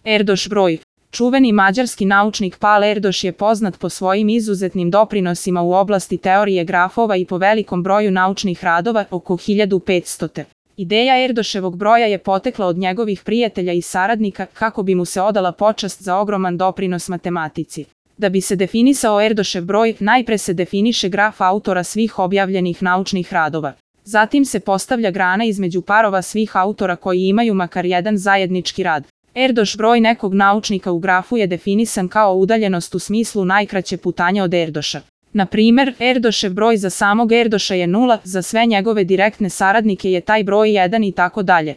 Erdos broj. Čuveni mađarski naučnik Pál Erdos je poznat po svojim izuzetnim doprinosima u oblasti teorije grafova i po velikom broju naučnih radova, oko 1500. Ideja Erdoševog broja je potekla od njegovih prijatelja i saradnika kako bi mu se odala počast za ogroman doprinos matematici. Da bi se definisao Erdošev broj, najpre se definiše graf autora svih objavljenih naučnih radova. Zatim se postavlja grana između parova svih autora koji imaju makar jedan zajednički rad. Erdos broj nekog naučnika u grafu je definisan kao udaljenost u smislu najkraće putanje od Erdoša. Na primjer, Erdošev broj za samog Erdoša je 0, za sve njegove direktne saradnike je taj broj 1 i tako dalje.